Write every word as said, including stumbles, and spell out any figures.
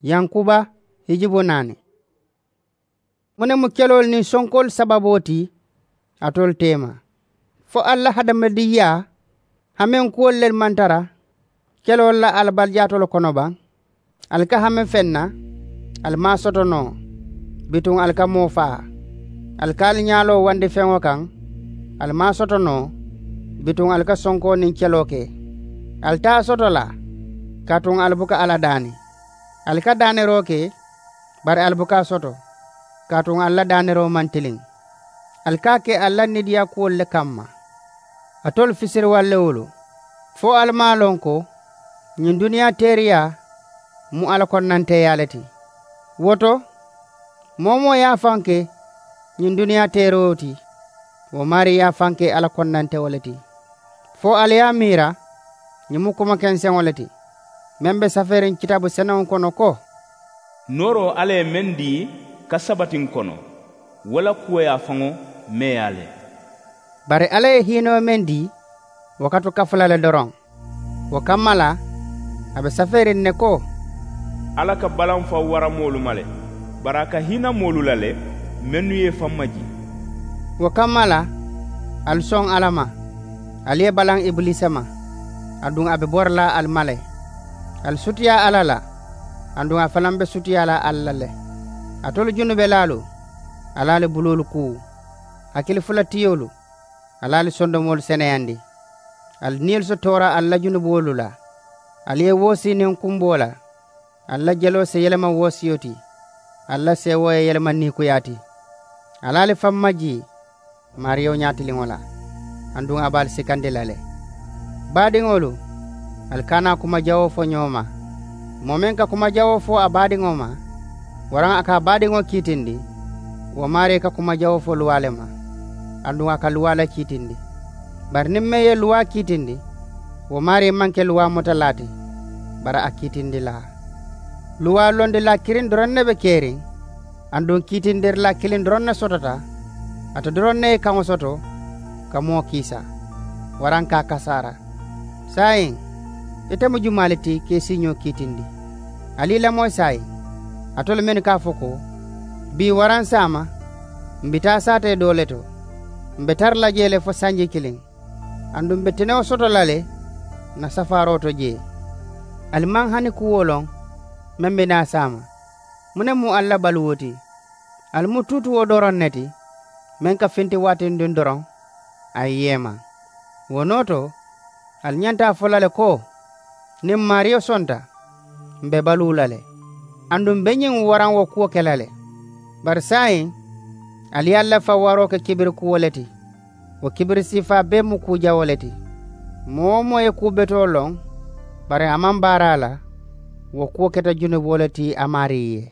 Yankuba hijubu naani. Muŋ ne mu keloolu niŋ sonkoolu sababoo ti alitolu teema? Fo ali la hadamadinyaa hameŋ kuwolu le maŋ tara keloolu la alabalijaatolu kono baŋ? Ali ka hame feŋ na, ali maŋ a soto noo. Bituŋ ali ka moo faa. Ali ka ali ñaaloo wandi feŋo kaŋ, ali maŋ a soto noo. Bituŋ ali ka sonkoo niŋ keloo ke. Ali te a soto la, kaatuŋ ali buka alla daani. Ali ka daaneroo ke, bari ali buka a soto, kaatuŋ ali la daaneroo maŋ tiliŋ. Ali ka a ke ali la niidiyaa kuwolu le kamma. Alitolu fisiriwallewolu, fo ali maŋ a loŋ ko ñiŋ duniyaa teeriyaa mu alla konnanteeyaa le ti? Wo to, moo-wo-moo ye a faŋ ke ñiŋ duniyaa teeroo ti, wo maarii ye a faŋ ke alla konnantewo le ti. Fo ali ye a miira, ñiŋ mu kuma kenseŋo le ti meŋ be safeeriŋ kitaabu senewoo kono ko, nooroo alla ye meŋ dii ka sabati n kono, wo la kuwo ye a faŋo meeyaa le. Bari alla ye hiinoo meŋ dii, wo ka tu kafu la le doroŋ. Wo kamma la, a be safeeriŋ ne ko, alla ka balanfaŋ wara moolu ma le, bari a ka hiina moolu la le mennu ye i faŋ majii. Wo kamma la, ali soŋ alla ma, ali ye balaŋ ibiliisa ma, aduŋ a be bori la ali ma le. Ali sutiyaa alla la, aduŋ a fanaŋ be sutiyaa la ali la le. Alitolu junubelaalu, ali ali buloolu kuu. Hakili fula tiyoolu, ali ali sondomoolu seneyandi. Ali niyolu si toora ali la junuboolu la. Ali ye woosii niŋ kumboo la. Ali la jeloo si yelema woosiyo ti. Ali la seewoo ye yelema niikuyaa ti. Ali ali faŋ majii maariyo ñaatiliŋo la, aduŋ a be ali sikandi la le. Baadiŋolu, ali kana kuma jawoo fo ñoo ma. Moo meŋ ka kuma jawoo fo a baadiŋo ma, waraŋ a ka a baadiŋo kiitindi, wo maarii ka kuma jawoo fo luwaa le ma, aduŋ a ka luwaa le kiitindi. Bari niŋ meŋ ye luwaa kiitindi, wo maarii maŋ ke luwaa mutalaa ti, bari a kiitindilaa. Luwaa londilaa kiriŋ doroŋ ne be keriŋ, aduŋ kiitindirilaa kiliŋ doroŋ ne sotota. Ate doroŋ ne ye kaŋo soto ka moo kiisa, waraŋ ka a kasaara. Saayiŋ, ite mu jumaa le ti ka i siiñoo kiitindi? Ali i lamoyi saayiŋ, alitolu mennu ka a fo ko, bii waraŋ saama, m̀ bi taa saatee doo le to, m̀ be tara la jee le fo sanji kiliŋ, aduŋ m̀ be tenewo soto la le ǹ na safaaroo to jee. Ali maŋ hani kuwo loŋ meŋ be naa saama. Muŋ ne mu ali la baluwo ti? Ali mu tuutuwo doroŋ ne ti, meŋ ka finti waatindiŋ doroŋ a ye yeema. Wo noo to, ali ñanta a fo la le ko, niŋ maariyo sonta, m̀ be baluu la le. Aduŋ m̀ be ñiŋ waraŋ wo kuwo ke la le. Bari saayiŋ, ali ye ali la faŋ waroo ke kibiri kuwo le ti. Wo kibiri siifaa bee mu kuu jawoo le ti. Moo-wo-moo ye kuu betoo loŋ, bari a maŋ baara a la, wo kuwo keta junuboo le ti a maarii ye.